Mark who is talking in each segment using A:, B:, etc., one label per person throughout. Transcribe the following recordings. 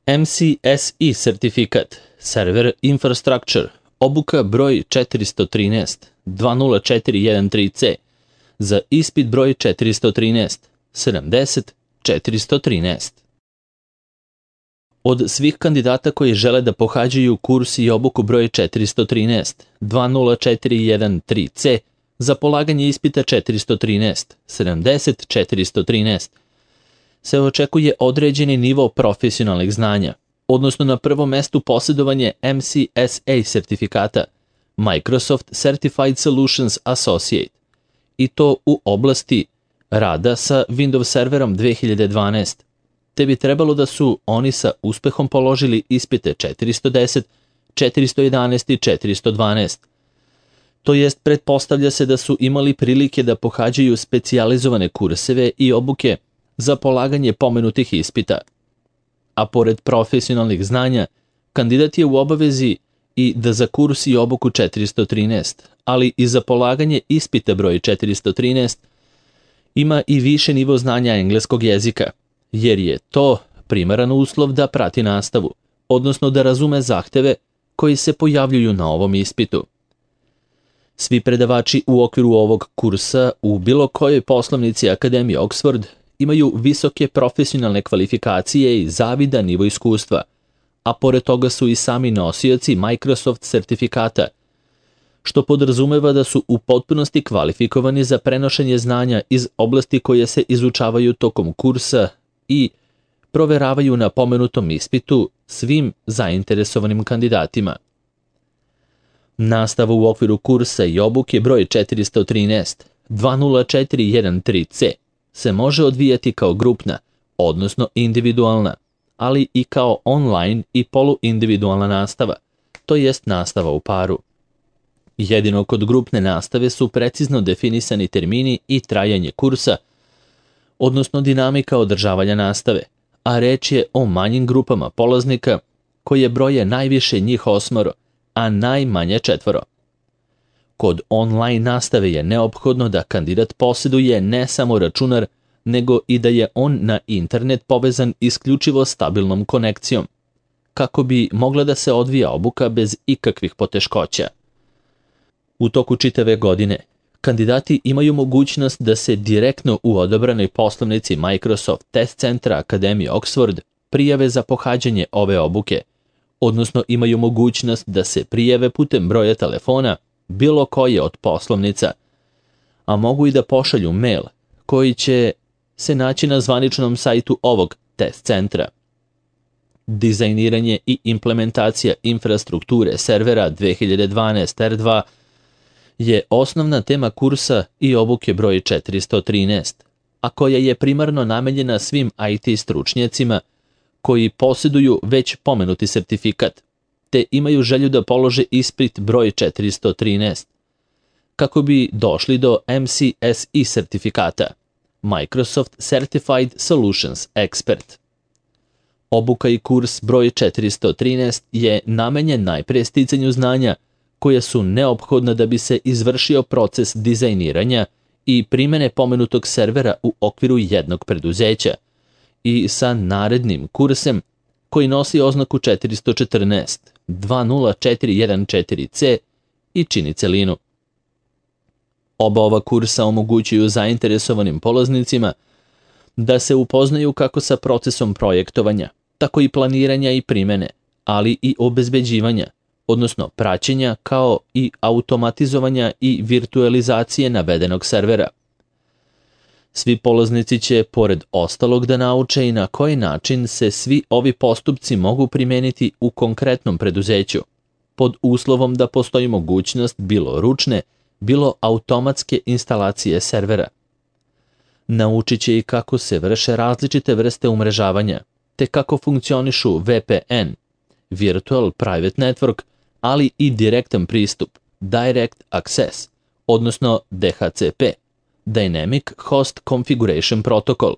A: MCSE sertifikat, Server Infrastructure, obuka broj 413, 20413C, za ispit broj 413, 70 413. Od svih kandidata koji žele da pohađaju kurs i obuku broj 413, 20413C, za polaganje ispita 413, 70 413, se očekuje određeni nivo profesionalnih znanja, odnosno na prvom mestu posjedovanje MCSA sertifikata, Microsoft Certified Solutions Associate, i to u oblasti rada sa Windows serverom 2012, te bi trebalo da su oni sa uspehom položili ispite 410, 411 i 412. To jest, pretpostavlja se da su imali prilike da pohađaju specijalizovane kurseve i obuke za polaganje pomenutih ispita. A pored profesionalnih znanja, kandidat je u obavezi i da za kurs i obuku 413, ali i za polaganje ispita broj 413, ima i više nivo znanja engleskog jezika, jer je to primaran uslov da prati nastavu, odnosno da razume zahteve koji se pojavljuju na ovom ispitu. Svi predavači u okviru ovog kursa u bilo kojoj poslovnici Akademije Oxford imaju visoke profesionalne kvalifikacije i zavidan nivo iskustva, a pored toga su i sami nosioci Microsoft sertifikata, što podrazumeva da su u potpunosti kvalifikovani za prenošenje znanja iz oblasti koje se izučavaju tokom kursa i proveravaju na pomenutom ispitu svim zainteresovanim kandidatima. Nastava u okviru kursa i obuke broj 413, 20413C se može odvijati kao grupna, odnosno individualna, ali i kao online i poluindividualna nastava, to jest nastava u paru. Jedino kod grupne nastave su precizno definisani termini i trajanje kursa, odnosno dinamika održavanja nastave, a reč je o manjim grupama polaznika koje broje najviše njih 8, a najmanje 4. Kod online nastave je neophodno da kandidat posjeduje ne samo računar, nego i da je on na internet povezan isključivo stabilnom konekcijom, kako bi mogla da se odvija obuka bez ikakvih poteškoća. U toku čitave godine, kandidati imaju mogućnost da se direktno u odabranoj poslovnici Microsoft Test Centra Akademije Oxford prijave za pohađanje ove obuke, odnosno imaju mogućnost da se prijave putem broja telefona bilo koje od poslovnica, a mogu i da pošalju mail koji će se naći na zvaničnom sajtu ovog test centra. Dizajniranje i implementacija infrastrukture servera 2012 R2 je osnovna tema kursa i obuke broj 413, a koja je primarno namenjena svim IT stručnjacima koji posjeduju već pomenuti sertifikat, te imaju želju da polože ispit broj 413, kako bi došli do MCSE sertifikata, Microsoft Certified Solutions Expert. Obuka i kurs broj 413 je namenjen najpre sticanju znanja koja su neophodna da bi se izvršio proces dizajniranja i primene pomenutog servera u okviru jednog preduzeća i sa narednim kursem koji nosi oznaku 414, 20414C i čini celinu. Oba ova kursa omogućuju zainteresovanim polaznicima da se upoznaju kako sa procesom projektovanja, tako i planiranja i primene, ali i obezbeđivanja, odnosno praćenja kao i automatizovanja i virtualizacije navedenog servera. Svi polaznici će, pored ostalog, da nauče i na koji način se svi ovi postupci mogu primeniti u konkretnom preduzeću, pod uslovom da postoji mogućnost bilo ručne, bilo automatske instalacije servera. Naučit će i kako se vrše različite vrste umrežavanja, te kako funkcionišu VPN, Virtual Private Network, ali i direktan pristup, Direct Access, odnosno DHCP, Dynamic Host Configuration Protocol,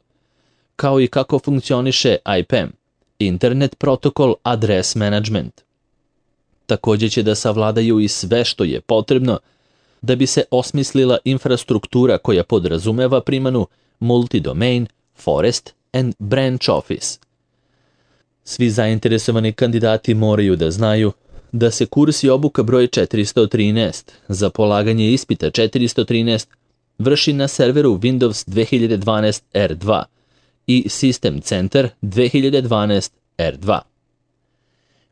A: kao i kako funkcioniše IPAM, Internet Protocol Address Management. Također će da savladaju i sve što je potrebno da bi se osmislila infrastruktura koja podrazumeva primanu Multi-Domain, Forest and Branch Office. Svi zainteresovani kandidati moraju da znaju da se kurs i obuka broj 413 za polaganje ispita 413 vrši na serveru Windows 2012 R2 i System Center 2012 R2.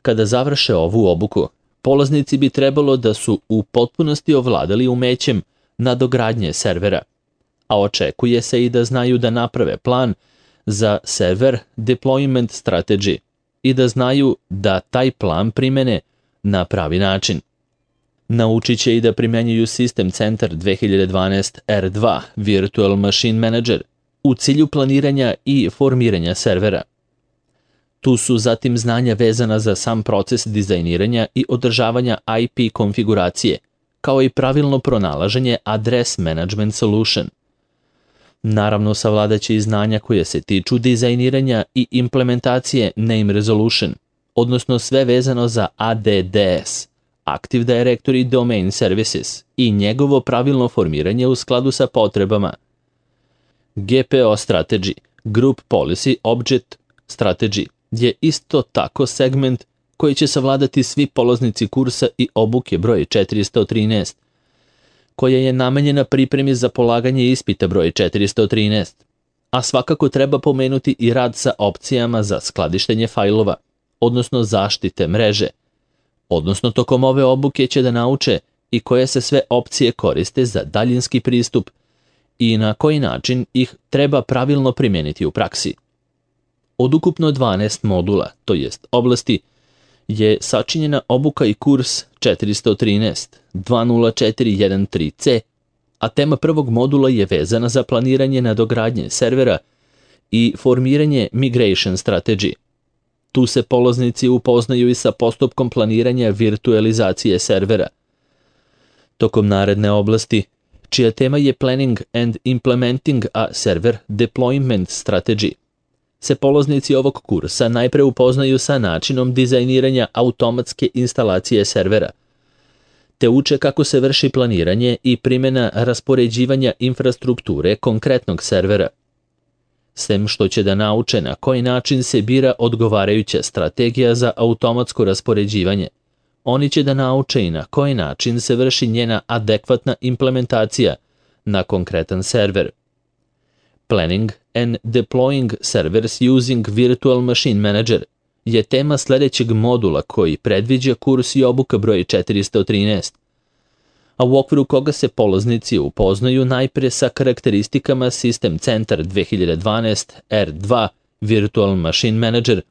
A: Kada završe ovu obuku, polaznici bi trebalo da su u potpunosti ovladali umećem nadogradnje servera, a očekuje se i da znaju da naprave plan za server deployment strategy i da znaju da taj plan primene na pravi način. Naučit će i da primenjuju System Center 2012 R2 Virtual Machine Manager u cilju planiranja i formiranja servera. Tu su zatim znanja vezana za sam proces dizajniranja i održavanja IP konfiguracije, kao i pravilno pronalaženje Address Management Solution. Naravno, savladaće i znanja koje se tiču dizajniranja i implementacije Name Resolution, odnosno sve vezano za ADDS, Active Directory Domain Services, i njegovo pravilno formiranje u skladu sa potrebama. GPO Strategy, Group Policy Object Strategy, je isto tako segment koji će savladati svi polaznici kursa i obuke broj 413, koja je namenjena pripremi za polaganje ispita broj 413, a svakako treba pomenuti i rad sa opcijama za skladištenje fajlova, odnosno zaštite mreže, odnosno tokom ove obuke će da nauče i koje se sve opcije koriste za daljinski pristup i na koji način ih treba pravilno primijeniti u praksi. Od ukupno 12 modula, to jest oblasti, je sačinjena obuka i kurs 413 20413C, a tema prvog modula je vezana za planiranje nadogradnje servera i formiranje Migration Strategy. Tu se polaznici upoznaju i sa postupkom planiranja virtualizacije servera. Tokom naredne oblasti, čija tema je Planning and Implementing a Server Deployment Strategy, se polaznici ovog kursa najpre upoznaju sa načinom dizajniranja automatske instalacije servera, te uče kako se vrši planiranje i primjena raspoređivanja infrastrukture konkretnog servera. Sem što će da nauče na koji način se bira odgovarajuća strategija za automatsko raspoređivanje, oni će da nauče i na koji način se vrši njena adekvatna implementacija na konkretan server. Planning and Deploying Servers Using Virtual Machine Manager je tema sledećeg modula koji predviđa kurs i obuka broj 413, a u okviru koga se polaznici upoznaju najpre sa karakteristikama System Center 2012 R2 Virtual Machine Manager,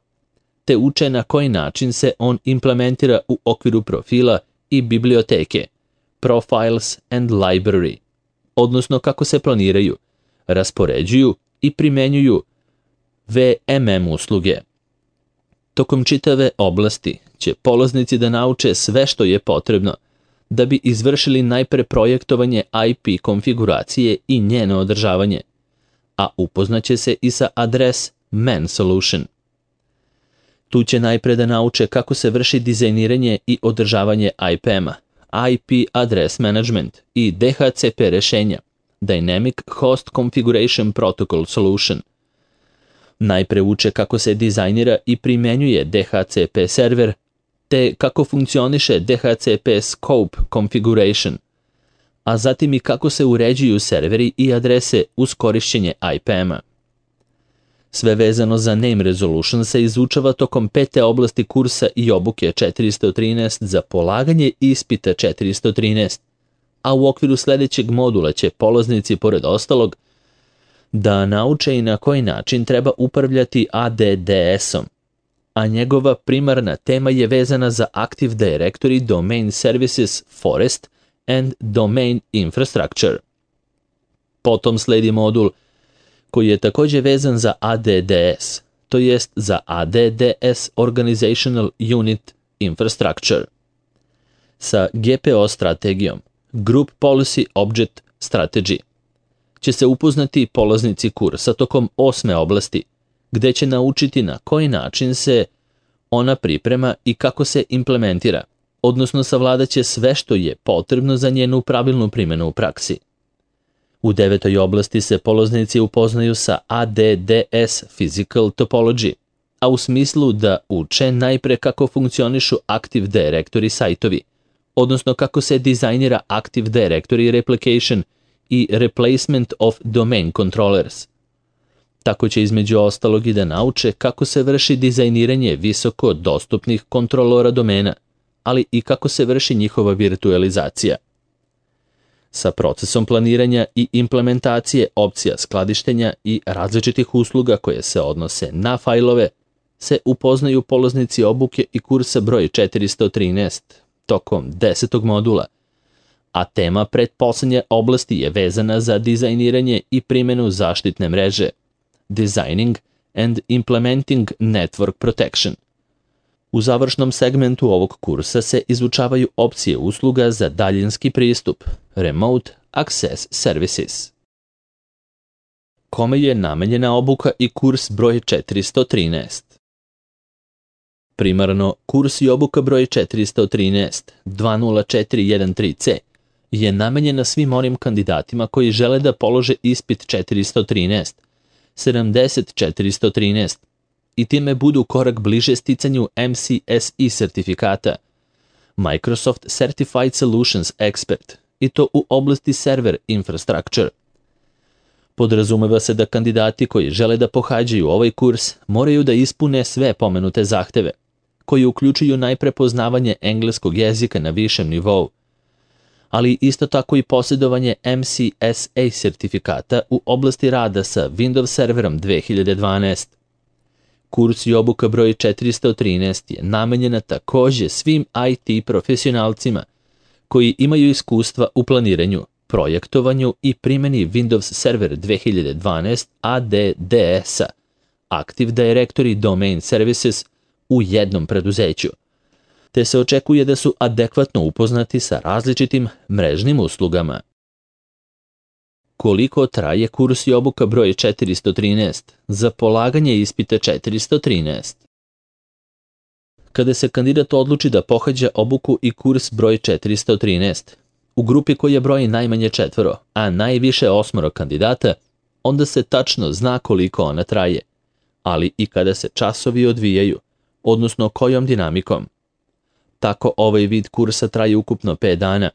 A: te uče na koji način se on implementira u okviru profila i biblioteke Profiles and Library, odnosno kako se planiraju, raspoređuju i primenjuju VMM usluge. Tokom čitave oblasti će polaznici da nauče sve što je potrebno da bi izvršili najpre projektovanje IP konfiguracije i njeno održavanje, a upoznaće se i sa Address Man Solution. Tu će najpre da nauče kako se vrši dizajniranje i održavanje IPM-a, IP Address Management i DHCP rešenja, Dynamic Host Configuration Protocol Solution. Najpre uče kako se dizajnira i primenjuje DHCP server, te kako funkcioniše DHCP Scope Configuration, a zatim i kako se uređuju serveri i adrese uz korišćenje IPM-a. Sve vezano za Name Resolution se izučava tokom 5. oblasti kursa i obuke 413 za polaganje ispita 413, a u okviru sledećeg modula će polaznici, pored ostalog, da nauče i na koji način treba upravljati ADDS-om, a njegova primarna tema je vezana za Active Directory Domain Services Forest and Domain Infrastructure. Potom sledi modul koji je takođe vezan za ADDS, to jest za ADDS Organizational Unit Infrastructure. Sa GPO strategijom, Group Policy Object Strategy, će se upoznati polaznici kursa tokom 8. oblasti, gde će naučiti na koji način se ona priprema i kako se implementira, odnosno savladaće sve što je potrebno za njenu pravilnu primjenu u praksi. U 9. oblasti se polaznici upoznaju sa ADDS Physical Topology, a u smislu da uče najpre kako funkcionišu Active Directory sajtovi, odnosno kako se dizajnira Active Directory Replication i Replacement of Domain Controllers. Tako će između ostalog i da nauče kako se vrši dizajniranje visoko dostupnih kontrolora domena, ali i kako se vrši njihova virtualizacija. Sa procesom planiranja i implementacije opcija skladištenja i različitih usluga koje se odnose na fajlove se upoznaju polaznici obuke i kursa broj 413 tokom 10. modula, a tema pretposlednje oblasti je vezana za dizajniranje i primjenu zaštitne mreže, Designing and Implementing Network Protection. U završnom segmentu ovog kursa se izučavaju opcije usluga za daljinski pristup, Remote Access Services. Kome je namenjena obuka i kurs broj 413? Primarno, kurs i obuka broj 413 20413C je namenjena svim onim kandidatima koji žele da polože ispit 413, 70413 i time budu korak bliže sticanju MCSE sertifikata, Microsoft Certified Solutions Expert, i to u oblasti server infrastructure. Podrazumeva se da kandidati koji žele da pohađaju ovaj kurs moraju da ispune sve pomenute zahteve, koji uključuju najpre poznavanje engleskog jezika na višem nivou, ali isto tako i posjedovanje MCSA sertifikata u oblasti rada sa Windows Serverom 2012. Kurs i obuka broj 413 je namenjena takođe svim IT profesionalcima koji imaju iskustva u planiranju, projektovanju i primjeni Windows Server 2012 ADDS-a, Active Directory Domain Services, u jednom preduzeću, te se očekuje da su adekvatno upoznati sa različitim mrežnim uslugama. Koliko traje kurs i obuka broj 413 za polaganje ispita 413? Kada se kandidat odluči da pohađa obuku i kurs broj 413, u grupi koja broji najmanje 4, a najviše 8 kandidata, onda se tačno zna koliko ona traje, ali i kada se časovi odvijaju, odnosno kojom dinamikom. Tako ovaj vid kursa traje ukupno 5 dana,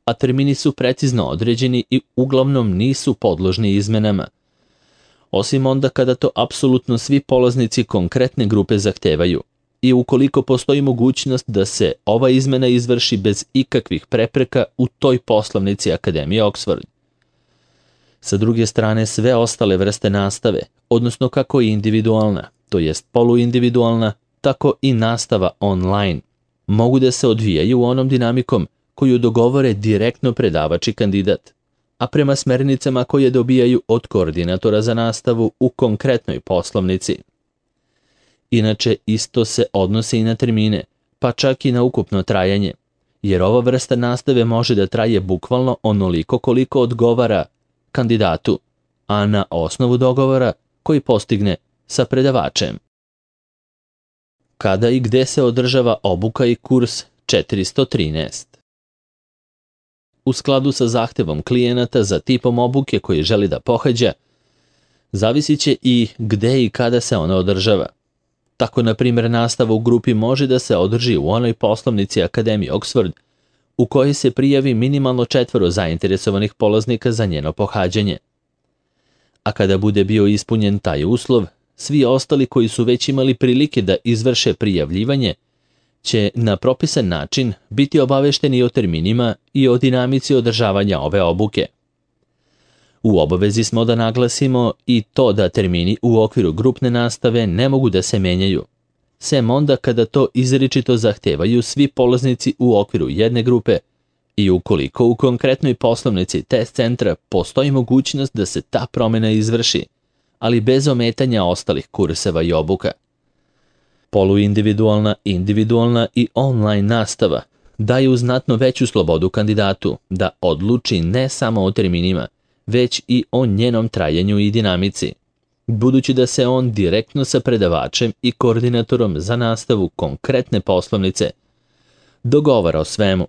A: a termini su precizno određeni i uglavnom nisu podložni izmenama, osim onda kada to apsolutno svi polaznici konkretne grupe zahtevaju i ukoliko postoji mogućnost da se ova izmena izvrši bez ikakvih prepreka u toj poslovnici Akademije Oxford. Sa druge strane, sve ostale vrste nastave, odnosno kako i individualna, to jest poluindividualna, tako i nastava online, mogu da se odvijaju onom dinamikom koju dogovore direktno predavač i kandidat, a prema smernicama koje dobijaju od koordinatora za nastavu u konkretnoj poslovnici. Inače, isto se odnosi i na termine, pa čak i na ukupno trajanje, jer ova vrsta nastave može da traje bukvalno onoliko koliko odgovara kandidatu, a na osnovu dogovora koji postigne sa predavačem. Kada i gde se održava obuka i kurs 413? U skladu sa zahtevom klijenata za tipom obuke koji želi da pohađa, zavisit će i gde i kada se ona održava. Tako, na primjer, nastava u grupi može da se održi u onoj poslovnici Akademije Oxford u kojoj se prijavi minimalno 4 zainteresovanih polaznika za njeno pohađanje. A kada bude bio ispunjen taj uslov, svi ostali koji su već imali prilike da izvrše prijavljivanje će na propisan način biti obavešteni o terminima i o dinamici održavanja ove obuke. U obavezi smo da naglasimo i to da termini u okviru grupne nastave ne mogu da se menjaju, sem onda kada to izričito zahtevaju svi polaznici u okviru jedne grupe i ukoliko u konkretnoj poslovnici test centra postoji mogućnost da se ta promjena izvrši, ali bez ometanja ostalih kurseva i obuka. Poluindividualna, individualna i online nastava daju znatno veću slobodu kandidatu da odluči ne samo o terminima, već i o njenom trajanju i dinamici, budući da se on direktno sa predavačem i koordinatorom za nastavu konkretne poslovnice dogovara o svemu.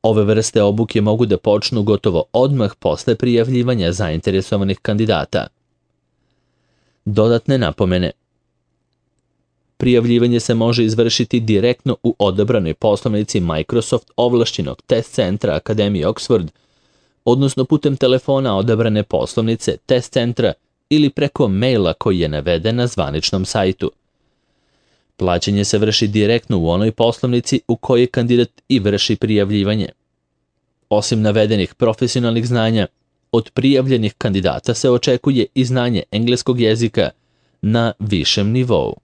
A: Ove vrste obuke mogu da počnu gotovo odmah posle prijavljivanja zainteresovanih kandidata. Dodatne napomene. Prijavljivanje se može izvršiti direktno u odabranoj poslovnici Microsoft ovlašćenog test centra Akademije Oxford, odnosno putem telefona odabrane poslovnice test centra ili preko maila koji je naveden na zvaničnom sajtu. Plaćanje se vrši direktno u onoj poslovnici u kojoj kandidat i vrši prijavljivanje. Osim navedenih profesionalnih znanja, od prijavljenih kandidata se očekuje i znanje engleskog jezika na višem nivou.